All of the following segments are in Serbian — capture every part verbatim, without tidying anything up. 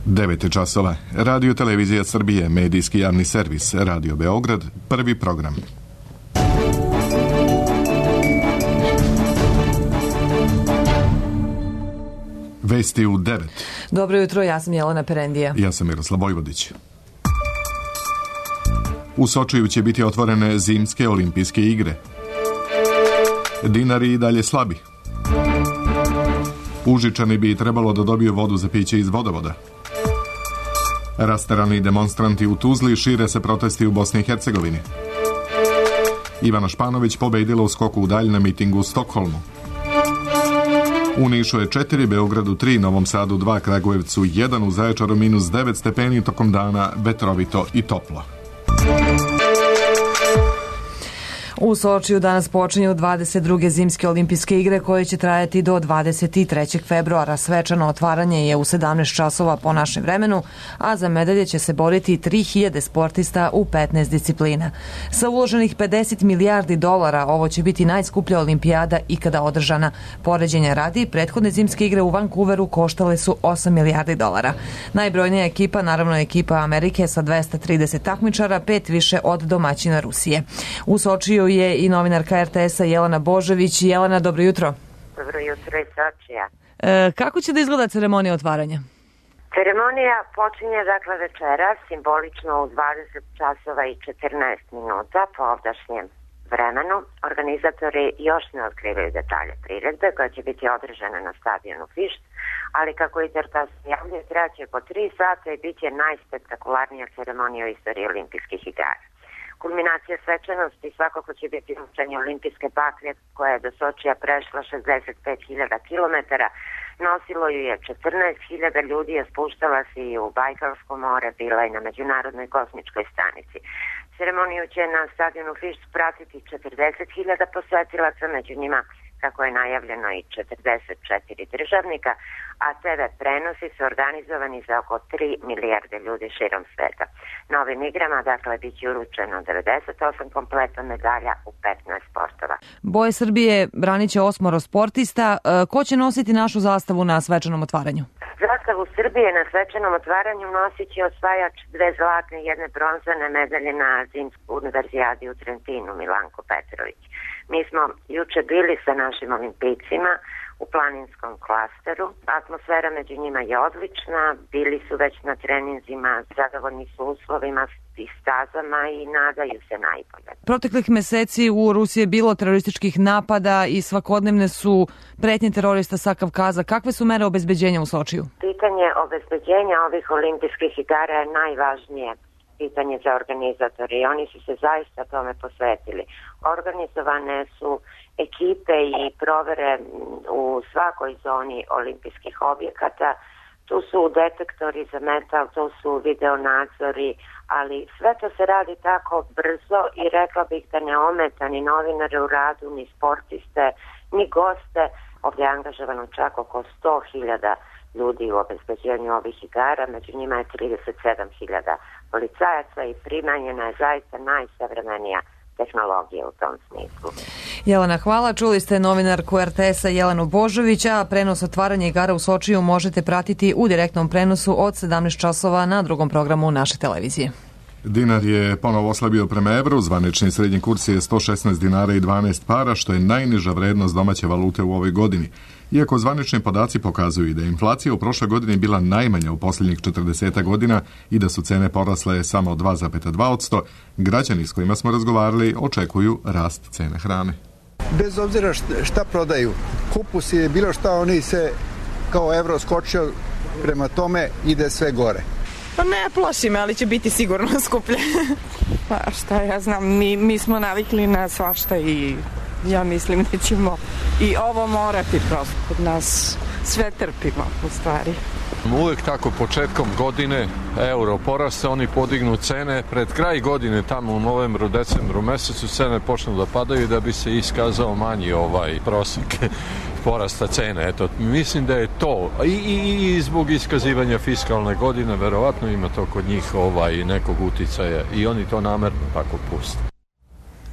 devet je časova. Radio Televizija Srbije, medijski javni servis, Radio Beograd, prvi program. Vesti u devet. Dobro jutro, ja sam Jelena Perendija. Ja sam Miroslav Vojvodić. U Sočiju će biti otvorene zimske olimpijske igre. Dinari i dalje slabi. Užičani bi trebalo da dobiju vodu za piće iz vodovoda. Rasterani demonstranti u Tuzli, šire se protesti u Bosni i Hercegovini. Ivana Španović pobedila u skoku u dalj na mitingu u Stokholmu. U Nišu je četiri, Beogradu tri, Novom Sadu dva, Kragujevcu jedan, u Zaječaru minus devet stepeni, tokom dana vetrovito i toplo. U Sočiju danas počinju dvadeset druge zimske olimpijske igre koje će trajati do dvadeset trećeg februara. Svečano otvaranje je u sedamnaest časova po našem vremenu, a za medalje će se boriti tri hiljade sportista u petnaest disciplina. Sa uloženih pedeset milijardi dolara ovo će biti najskuplja olimpijada ikada održana. Poređenja radi, prethodne zimske igre u Vancouveru koštale su osam milijardi dolara. Najbrojnija ekipa, naravno ekipa Amerike sa dvesta trideset takmičara, pet više od domaćina Rusije. U Sočiju je i novinarka er te esa Jelena Božović. Jelena, dobro jutro. Dobro jutro iz Sočija. E, kako će da izgleda ceremonija otvaranja? Ceremonija počinje dakle večera, simbolično u dvadeset časova i četrnaest minuta po ovdašnjem vremenu. Organizatori još ne otkrivaju detalje priredbe koja će biti održana na stadionu Fišt, ali kako Intertas javlja, traće po tri sata i bit će najspektakularnija ceremonija u istoriji olimpijskih igara. Kulminacija svečanosti svakako će biti učenje olimpijske baklje koja je do Sočija prešla šezdeset pet hiljada kilometara. Nosilo ju je četrnaest hiljada ljudi, a spuštala se i u Bajkalsko more, bila i na Međunarodnoj kosmičkoj stanici. Ceremoniju će na stadionu Fišt pratiti četrdeset hiljada posetilaca, među njima, kako je najavljeno, i četrdeset četiri državnika, a te ve prenosi su organizovani za oko tri milijarde ljudi širom sveta. Na ovim igrama, dakle, bit će uručeno devedeset osam kompleta medalja u petnaest sportova. Boje Srbije branit će osmoro sportista. Ko će nositi našu zastavu na svečanom otvaranju? Zastavu Srbije na svečanom otvaranju nosit će osvajač dve zlatne i jedne bronzane medalje na zimskoj univerzijadi u Trentinu, Milanko Petrović. Mi smo juče bili sa našim olimpijcima u planinskom klasteru. Atmosfera među njima je odlična, bili su već na treninzima, zadovoljni su uslovima i stazama i nadaju se najbolje. Proteklih meseci u Rusiji je bilo terorističkih napada i svakodnevne su pretnje terorista sa Kavkaza. Kakve su mere obezbeđenja u Sočiju? Pitanje obezbeđenja ovih olimpijskih igara je najvažnije pitanje za organizatori i oni su se zaista tome posvetili. Organizovane su ekipe i provere u svakoj zoni olimpijskih objekata. Tu su detektori za metal, tu su video nadzori, ali sve to se radi tako brzo i rekla bih da ne ometa ni novinare u radu, ni sportiste, ni goste. Ovdje je angažovano čak oko sto hiljada ljudi u obezbeđenju ovih igara, među njima je trideset sedam hiljada policajaca i primenjena je zaista najsavremenija tehnologija u tom smislu. Jelena, hvala. Čuli ste novinarku er te esa Jelenu Božović, a prenos otvaranja igara u Sočiju možete pratiti u direktnom prenosu od sedamnaest časova na drugom programu naše televizije. Dinar je ponovo oslabio prema evru, zvanični srednji kurs je sto šesnaest dinara i dvanaest para, što je najniža vrednost domaće valute u ovoj godini. Iako zvanični podaci pokazuju da je inflacija u prošloj godini bila najmanja u posljednjih četrdeset godina i da su cene porasle samo dva zarez dva posto, građani s kojima smo razgovarali očekuju rast cene hrane. Bez obzira šta prodaju, kupus je bilo šta, oni se kao evro skočio, prema tome ide sve gore. Pa ne plaši me, ali će biti sigurno skuplje. Pa šta ja znam, mi, mi smo navikli na svašta i ja mislim da ćemo i ovo morati prosto. Kod nas sve trpimo u stvari. Uvijek tako početkom godine euro porasta, oni podignu cene. Pred kraj godine, tamo u novembru, decembru mesecu, cene počnu da padaju da bi se iskazao manji ovaj prosjek porasta cene. Eto, mislim da je to i, i, i zbog iskazivanja fiskalne godine, verovatno ima to kod njih ovaj nekog uticaja i oni to namerno tako puste.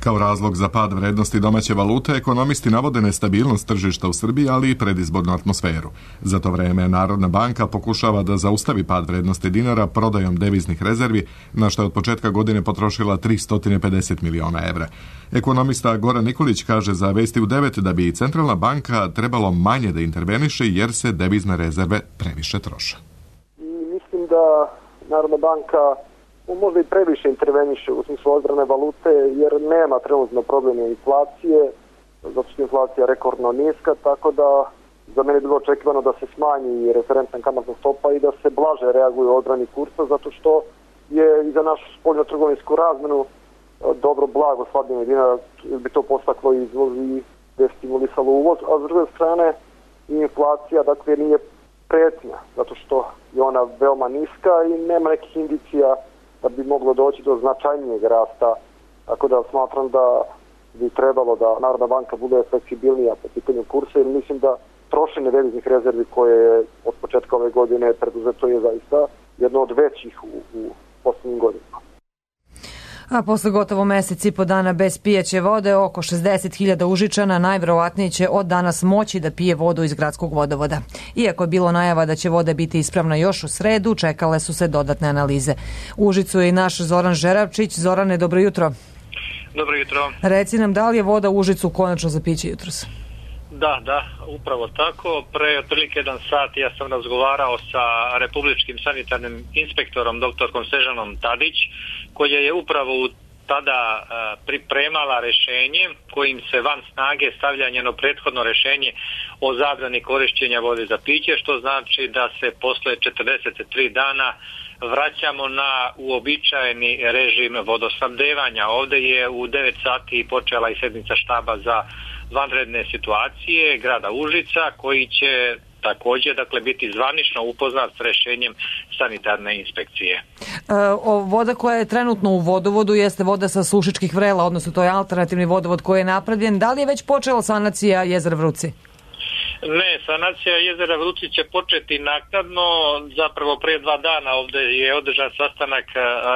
Kao razlog za pad vrednosti domaće valute, ekonomisti navode nestabilnost tržišta u Srbiji, ali i predizbornu atmosferu. Za to vreme Narodna banka pokušava da zaustavi pad vrednosti dinara prodajom deviznih rezervi, na što je od početka godine potrošila tristo pedeset miliona evra. Ekonomista Goran Nikolić kaže za Vesti u devet da bi Centralna banka trebalo manje da interveniše jer se devizne rezerve previše troše. Mislim da Narodna banka možda i previše interveniše u smislu odbrane valute jer nema trenutno problema inflacije, zato što je inflacija rekordno niska, tako da za mene je bilo očekivano da se smanji referentna kamatna stopa i da se blaže reaguje u odbrani kursa, zato što je i za našu spoljno-trgovinsku razmenu dobro blago slabljenje dinara bi to postaklo izvoz i destimulisalo uvoz, a s druge strane inflacija dakle nije pretnja, zato što je ona veoma niska i nema nekih indicija da bi moglo doći do značajnijeg rasta, tako da smatram da bi trebalo da Narodna banka bude fleksibilnija po pitanju kursa, jer mislim da trošenje deviznih rezervi koje je od početka ove godine preduzeto je zaista jedno od većih u, u poslednjim godinama. A posle gotovo mesec i po dana bez pijaće vode, oko šezdeset hiljada Užičana najverovatnije će od danas moći da pije vodu iz gradskog vodovoda. Iako je bilo najava da će voda biti ispravna još u sredu, čekale su se dodatne analize. U Užicu je i naš Zoran Žerabčić. Zorane, dobro jutro. Dobro jutro. Reci nam, da li je voda u Užicu konačno za piće jutros? Da, da, upravo tako. Pre otprilike jedan sat ja sam razgovarao sa republičkim sanitarnim inspektorom doktorkom Snežanom Tadić, koja je upravo tada pripremala rešenje kojim se van snage stavlja njeno prethodno rešenje o zabrani korišćenja vode za piće, što znači da se posle četrdeset tri dana vraćamo na uobičajeni režim vodosnabdevanja. Ovde je u devet sati počela i sednica štaba za vanredne situacije grada Užica, koji će također dakle biti zvanično upoznat s rešenjem sanitarne inspekcije. E, o, voda koja je trenutno u vodovodu jeste voda sa Sušičkih vrela, odnosno to je alternativni vodovod koji je napravljen. Da li je već počela sanacija jezera Vruci? Ne, sanacija jezera Vruci će početi naknadno. Zapravo pre dva dana ovde je održan sastanak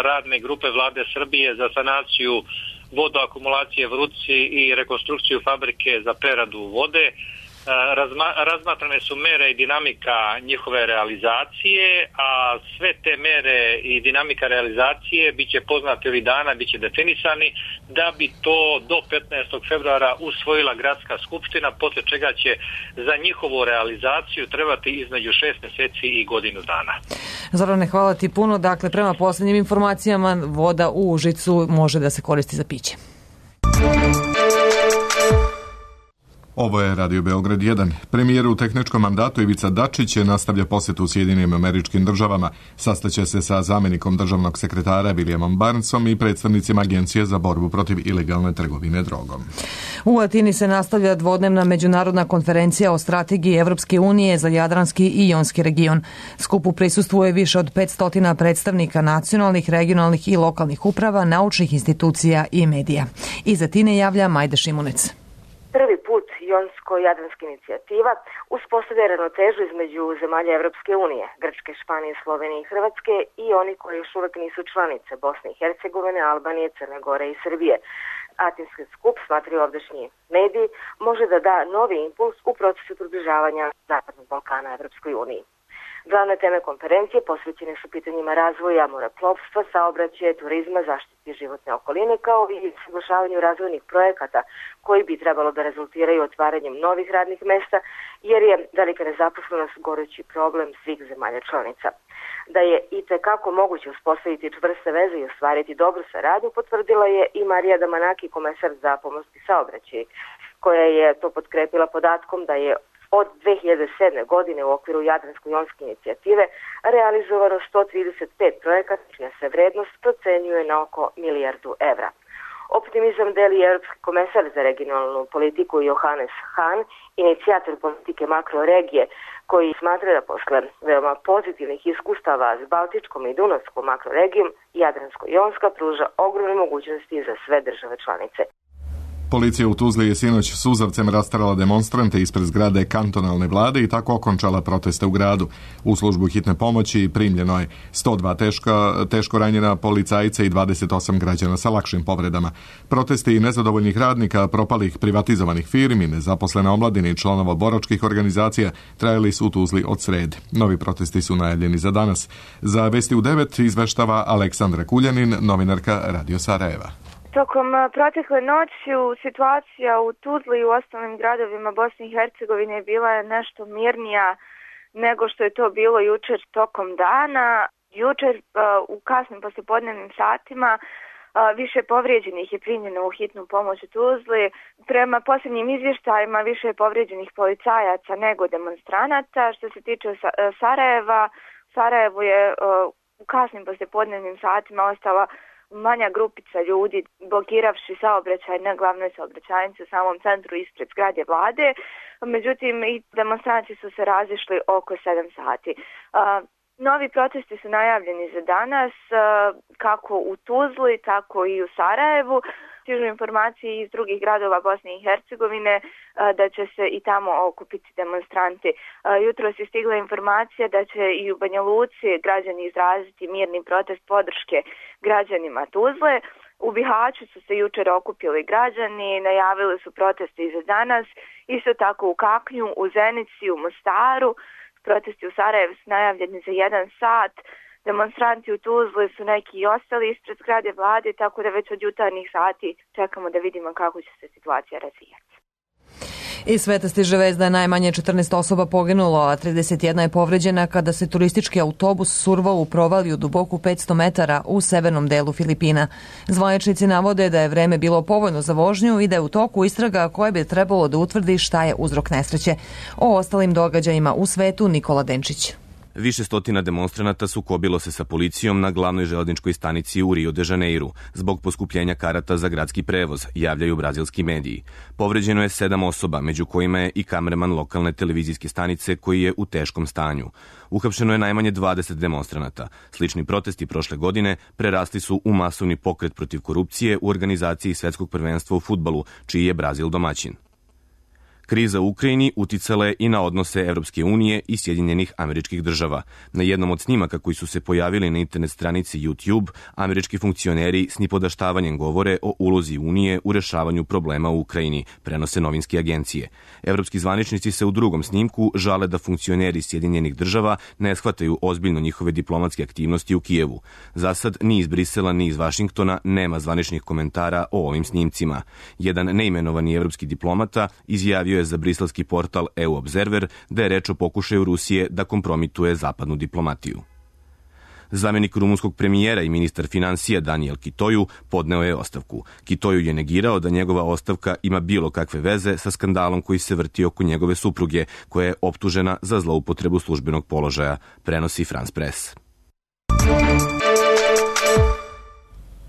radne grupe Vlade Srbije za sanaciju vodoakumulacije Vruci i rekonstrukciju fabrike za preradu vode. Razma, razmatrane su mere i dinamika njihove realizacije, a sve te mere i dinamika realizacije biće poznate ovih dana, biće definisani, da bi to do petnaestog februara usvojila gradska skupština, posle čega će za njihovu realizaciju trebati između šest meseci i godinu dana. Zorane, hvala ti puno. Dakle, prema poslednjim informacijama, voda u Užicu može da se koristi za piće. Ovo je Radio Beograd jedan. Premijer u tehničkom mandatu Ivica Dačić nastavlja posetu u Sjedinim Američkim Državama. Sastaće se sa zamenikom državnog sekretara Williamom Barnesom i predstavnicima Agencije za borbu protiv ilegalne trgovine drogom. U Atini se nastavlja dvodnevna međunarodna konferencija o strategiji Evropske unije za Jadranski i Jonski region. Skupu prisustvuje više od petsto predstavnika nacionalnih, regionalnih i lokalnih uprava, naučnih institucija i medija. Iz Atine javlja Majda Šimunec. Prvi put Jonsko-Jadranska inicijativa uspostavlja ravnotežu između zemalja Evropske unije, Grčke, Španije, Slovenije i Hrvatske i oni koji još uvek nisu članice, Bosne i Hercegovine, Albanije, Crne Gore i Srbije. Atinski skup, smatraju ovdašnji mediji, može da da novi impuls u procesu približavanja Zapadnog Balkana Evropskoj uniji. Glavne teme konferencije posvećene su pitanjima razvoja moreplovstva, saobraćaja, turizma, zaštiti životne okoline, kao i saglašavanju razvojnih projekata koji bi trebalo da rezultiraju otvaranjem novih radnih mesta, jer je velika nezaposlenost gorući problem svih zemalja članica. Da je i tekako moguće uspostaviti čvrste veze i ostvariti dobru saradnju, potvrdila je i Marija Damanaki, komesar za pomorski saobraćaj, koja je to potkrepila podatkom da je od dve hiljade sedme. godine u okviru Jadransko-Jonske inicijative realizovano sto trideset pet projekata, čija se vrednost procenjuje na oko milijardu evra. Optimizam deli Evropski komesar za regionalnu politiku Johannes Hahn, inicijator politike makroregije, koji smatra da posle veoma pozitivnih iskustava s Baltičkom i Dunavskom makroregijom, Jadransko-Jonska pruža ogromne mogućnosti za sve države članice. Policija u Tuzli je sinoć suzavcem rasterala demonstrante ispred zgrade kantonalne vlade i tako okončala proteste u gradu. U službu hitne pomoći primljeno je sto dva teška, teško ranjena policajca i dvadeset osam građana sa lakšim povredama. Protesti nezadovoljnih radnika, propalih privatizovanih firmi, nezaposlene omladine i članova boračkih organizacija trajali su u Tuzli od srede. Novi protesti su najavljeni za danas. Za Vesti u devet izveštava Aleksandra Kuljanin, novinarka Radio Sarajeva. Tokom protekle noći situacija u Tuzli i u ostalim gradovima Bosne i Hercegovine bila je nešto mirnija nego što je to bilo jučer tokom dana. Jučer u kasnim poslijepodnevnim satima više povrijeđenih je primljeno u hitnu pomoć u Tuzli. Prema posljednjim izvještajima više je povrijeđenih policajaca nego demonstranata. Što se tiče Sarajeva, Sarajevo je u kasnim poslijepodnevnim satima ostala manja grupica ljudi blokiravši saobraćaj na glavnoj saobraćajnici u samom centru ispred zgrade vlade. Međutim, i demonstranti su se razišli oko sedam sati. Novi protesti su najavljeni za danas, kako u Tuzli, tako i u Sarajevu. Stižu informacije iz drugih gradova Bosne i Hercegovine da će se i tamo okupiti demonstranti. Jutros je stigla informacija da će i u Banja Luci građani izraziti mirni protest podrške građanima Tuzle. U Bihaću su se jučer okupili građani, najavili su proteste i za danas. Isto tako u Kaknju, u Zenici, u Mostaru. Protesti u Sarajevu su najavljeni za jedan sat. Demonstranti u Tuzli su neki i ostali ispred zgrade vlade, tako da već od jutarnjih sati čekamo da vidimo kako će se situacija razvijati. Iz sveta stiže vest da je najmanje četrnaest osoba poginulo, a trideset jedna je povređena kada se turistički autobus survao u provaliju duboku petsto metara u severnom delu Filipina. Zvaničnici navode da je vreme bilo povoljno za vožnju i da je u toku istraga koje bi trebalo da utvrdi šta je uzrok nesreće. O ostalim događajima u svetu Nikola Denčić. Više stotina demonstranata sukobilo se sa policijom na glavnoj železničkoj stanici u Rio de Janeiru zbog poskupljenja karata za gradski prevoz, javljaju brazilski mediji. Povređeno je sedam osoba, među kojima je i kamerman lokalne televizijske stanice koji je u teškom stanju. Uhapšeno je najmanje dvadeset demonstranata. Slični protesti prošle godine prerasli su u masovni pokret protiv korupcije u organizaciji Svetskog prvenstva u fudbalu, čiji je Brazil domaćin. Kriza u Ukrajini uticala je i na odnose Evropske unije i Sjedinjenih Američkih Država. Na jednom od snimaka koji su se pojavili na internet stranici YouTube, američki funkcioneri s nipodaštavanjem govore o ulozi Unije u rešavanju problema u Ukrajini, prenose novinske agencije. Evropski zvaničnici se u drugom snimku žale da funkcioneri Sjedinjenih Država ne shvataju ozbiljno njihove diplomatske aktivnosti u Kijevu. Zasad ni iz Brisela ni iz Vašingtona nema zvaničnih komentara o ovim snimcima. Jedan neimenovani evropski diplomata izjavio je za briselski portal E U Observer da je reč o pokušaju Rusije da kompromituje zapadnu diplomatiju. Zamenik rumunskog premijera i ministar finansija Daniel Kitoju podneo je ostavku. Kitoju je negirao da njegova ostavka ima bilo kakve veze sa skandalom koji se vrti oko njegove supruge, koja je optužena za zloupotrebu službenog položaja, prenosi France Press.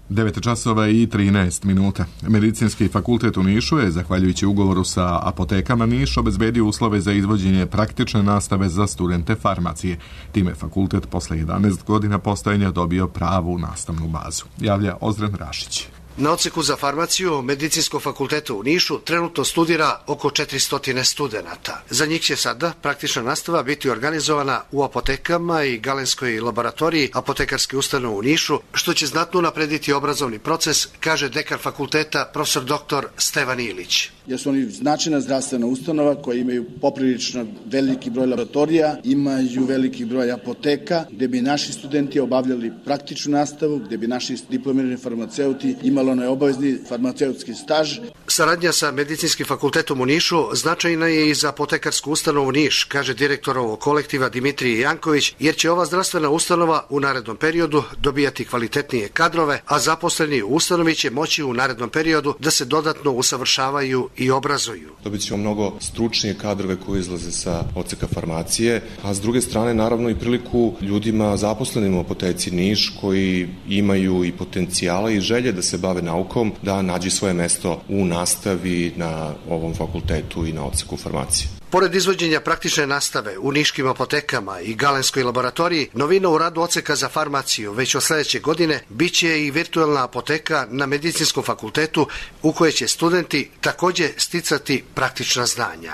devet časova i trinaest minuta. Medicinski fakultet u Nišu je, zahvaljujući ugovoru sa apotekama Niš, obezbedio uslove za izvođenje praktične nastave za studente farmacije. Time fakultet posle jedanaest godina postojanja dobio pravu nastavnu bazu. Javlja Ozren Rašić. Na odseku za farmaciju Medicinskog fakulteta u Nišu trenutno studira oko četiristo studenata. Za njih će sada praktična nastava biti organizovana u apotekama i galenskoj laboratoriji apotekarske ustanove u Nišu, što će znatno naprediti obrazovni proces, kaže dekan fakulteta profesor doktor Stevan Ilić. Jer su oni značajna zdravstvena ustanova koja imaju poprilično veliki broj laboratorija, imaju veliki broj apoteka, gde bi naši studenti obavljali praktičnu nastavu, gde bi naši diplomirani farmaceuti imali onaj obavezni farmaceutski staž. Saradnja sa Medicinskim fakultetom u Nišu značajna je i za apotekarsku ustanovu Niš, kaže direktor ovog kolektiva Dimitrij Janković, jer će ova zdravstvena ustanova u narednom periodu dobijati kvalitetnije kadrove, a zaposleni u ustanovi će moći u narednom periodu da se dodatno usavršavaju i obrazuju. Dobit ćemo mnogo stručnije kadrove koji izlaze sa odseka farmacije, a s druge strane naravno i priliku ljudima zaposlenim u apoteci Niš koji imaju i potencijala i želje da se bave naukom, da nađu svoje mesto u nastavi na ovom fakultetu i na odseku farmacije. Pored izvođenja praktične nastave u niškim apotekama i galenskoj laboratoriji, novina u radu odseka za farmaciju već od sledeće godine biće i virtualna apoteka na Medicinskom fakultetu u kojoj će studenti takođe sticati praktična znanja.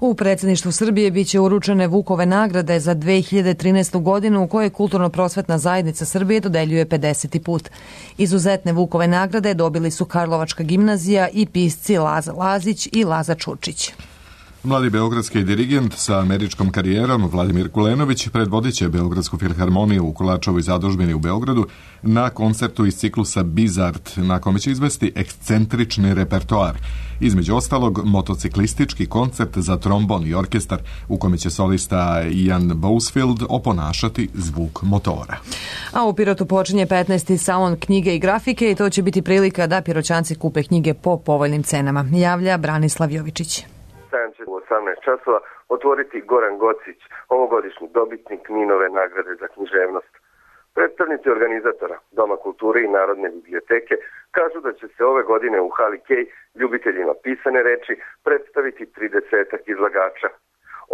U predsjedništvu Srbije biće uručene Vukove nagrade za dve hiljade trinaestu godinu u kojoj Kulturno-prosvetna zajednica Srbije dodeljuje pedeseti put. Izuzetne Vukove nagrade dobili su Karlovačka gimnazija i pisci Laza Lazić i Laza Čučić. Mladi beogradski dirigent sa američkom karijerom Vladimir Kulenović predvodit će Beogradsku filharmoniju u Kolačovoj zadužbini u Beogradu na koncertu iz ciklusa Bizart, na kome će izvesti ekscentrični repertoar. Između ostalog, motociklistički koncert za trombon i orkestar u kome će solista Ian Bousfield oponašati zvuk motora. A u Pirotu počinje petnaesti salon knjige i grafike i to će biti prilika da Piroćanci kupe knjige po povoljnim cenama, javlja Branislav Jovičić. Sajam će u osamnaest časova otvoriti Goran Gocić, ovogodišnji dobitnik Ninove nagrade za književnost. Predstavnici organizatora Doma kulture i Narodne biblioteke kažu da će se ove godine u hali Kej ljubiteljima pisane reči predstaviti tridesetak izlagača.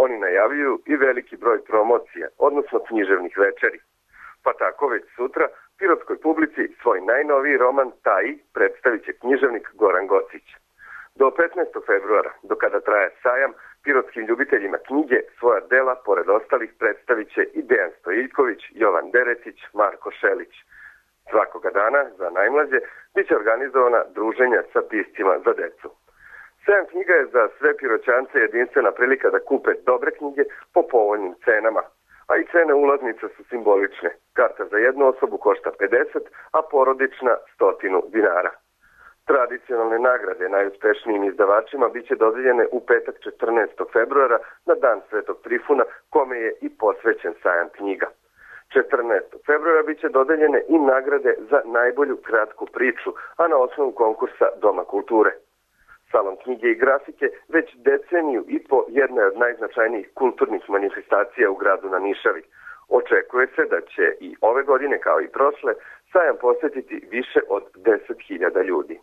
Oni najavljuju i veliki broj promocija, odnosno književnih večeri. Pa tako već sutra pirotskoj publici svoj najnoviji roman Taji predstavit će književnik Goran Gocić. Do petnaestog februara, do kada traje sajam, pirotskim ljubiteljima knjige svoja dela, pored ostalih, predstavit će i Dejan Stojiljković, Jovan Deretić, Marko Šelić. Svakoga dana, za najmlađe, bit će organizovana druženja sa piscima za decu. Sajam knjiga je za sve Piroćance jedinstvena prilika da kupe dobre knjige po povoljnim cenama, a i cene ulaznica su simbolične. Karta za jednu osobu košta pedeset, a porodična stotinu dinara. Tradicionalne nagrade najuspešnijim izdavačima biće dodeljene u petak četrnaestog februara na dan Svetog Trifuna, kome je i posvećen sajam knjiga. četrnaestog februara biće dodeljene i nagrade za najbolju kratku priču, a na osnovu konkursa Doma kulture. Salon knjige i grafike već deceniju i po jedna od najznačajnijih kulturnih manifestacija u gradu na Nišavi. Očekuje se da će i ove godine, kao i prošle, sajam posjetiti više od deset hiljada ljudi.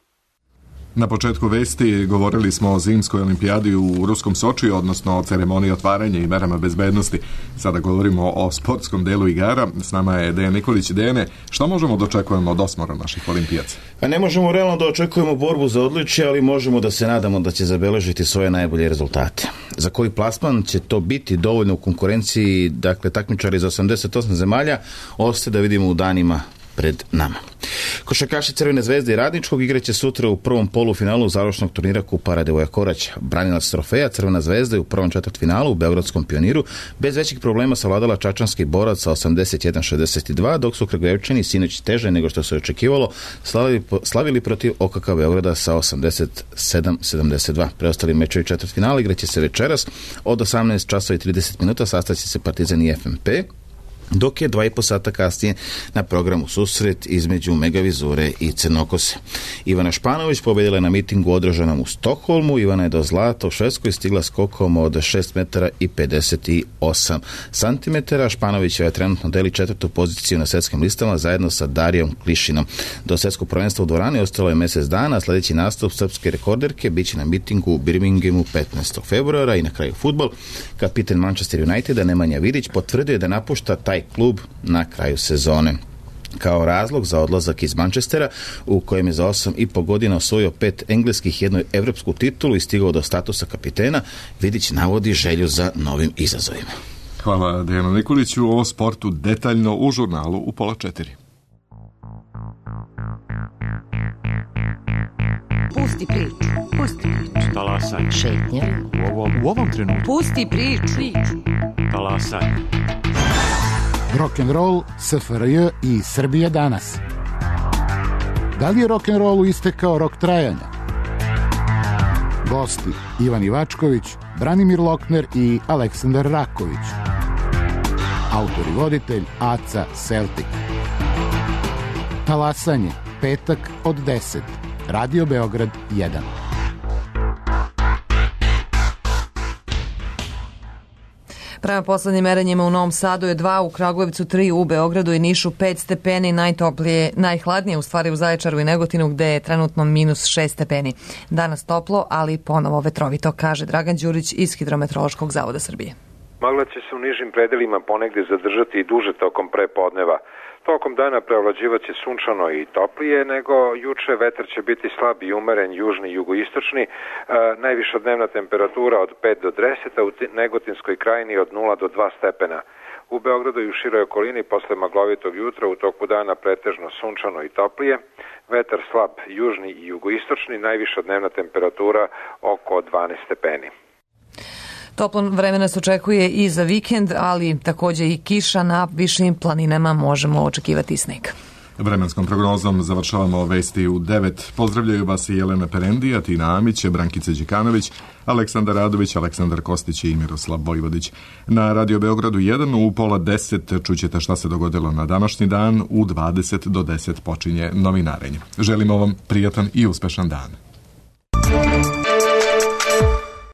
Na početku vesti govorili smo o zimskoj olimpijadi u ruskom Sočiju, odnosno o ceremoniji otvaranja i merama bezbednosti. Sada govorimo o sportskom delu igara. S nama je Dejan Nikolić. Dejane, što možemo da očekujemo od osmora naših olimpijaca? A ne možemo realno da očekujemo borbu za odličje, ali možemo da se nadamo da će zabeležiti svoje najbolje rezultate. Za koji plasman će to biti dovoljno u konkurenciji, dakle takmičari za osamdeset osam zemalja, ostaje da vidimo u danima pred nama. Košarkaši Crvene zvezde i Radničkog igraće sutra u prvom polufinalu završnog turnira Kupa Radovoja Korać. Branilac trofeja Crvena zvezda je u prvom četvrtfinalu u Beogradskom Pioniru bez većih problema savladala čačanski borac sa osamdeset jedan šezdeset dva, dok su Kragujevčani sinoć teže nego što se očekivalo slavili, slavili protiv O K K Beograda sa osamdeset sedam sedamdeset dva. Preostali mečevi četvrtfinala igraće se večeras od osamnaest časova i trideset minuta, sastaće se Partizan i F M P, dok je dva i po sata kasnije na programu susret između Megavizure i Crnokose. Ivana Španović pobedila je na mitingu održanom u Stokholmu. Ivana je do zlata u Švedskoj stigla skokom od šest metara i pedeset osam santimetara. Španović je trenutno deli četvrtu poziciju na svetskim listama zajedno sa Darijom Klišinom. Do svetskog prvenstva u dvorani ostalo je mesec dana, a sledeći nastup srpske rekorderke biće na mitingu u Birminghamu petnaestog februara. I na kraju fudbal. Kapitan Manchester Uniteda Nemanja Vidić potvrdio je da napušta taj klub na kraju sezone. Kao razlog za odlazak iz Manchestera, u kojem je za osam i po godina osvojio pet engleskih i jednu evropsku titulu i stigao do statusa kapitena, Vidić navodi želju za novim izazovima. Hvala Dejanu Nikoliću. O sportu detaljno u žurnalu u pola četiri. Pusti priču. Pusti priču. Talasaj. Šetnja. U ovom, u ovom trenutku. Pusti priču. Talasaj. Rock'n'roll, S F R J i Srbija danas. Da li je rock'n'rollu istekao rok trajanja? Gosti Ivan Ivačković, Branimir Lokner i Aleksandar Raković. Autor i voditelj Aca Celtic. Talasanje, petak od deset. Radio Beograd jedan. Prema poslednjim merenjima u Novom Sadu je dva, u Kragujevcu tri, u Beogradu i Nišu pet stepeni, najtoplije, najhladnije u stvari u Zaječaru i Negotinu gde je trenutno minus šest stepeni. Danas toplo, ali ponovo vetrovito, kaže Dragan Đurić iz Hidrometeorološkog zavoda Srbije. Magla će se u nižim predelima ponegde zadržati i duže tokom prepodneva. Tokom dana preovlađivaće sunčano i toplije nego juče, vetar će biti slab i umeren, južni i jugoistočni, e, najviša dnevna temperatura od pet do deset, a u Negotinskoj krajini od nula do dva stepena. U Beogradu i u široj okolini posle maglovitog jutra u toku dana pretežno sunčano i toplije, vetar slab južni i jugoistočni, najviša dnevna temperatura oko dvanaest stepeni. Toplo vreme nas očekuje i za vikend, ali takođe i kiša na višim planinama, možemo očekivati i sneg. Vremenskom prognozom završavamo vesti u devet. Pozdravljaju vas i Jelena Perendija, Tina Amić, Brankica Đikanović, Aleksandar Radović, Aleksandar Kostić i Miroslav Vojvodić. Na Radio Beogradu jedan u pola deset čućete šta se dogodilo na današnji dan, u dvadeset do deset počinje novinarenje. Želimo vam prijatan i uspešan dan.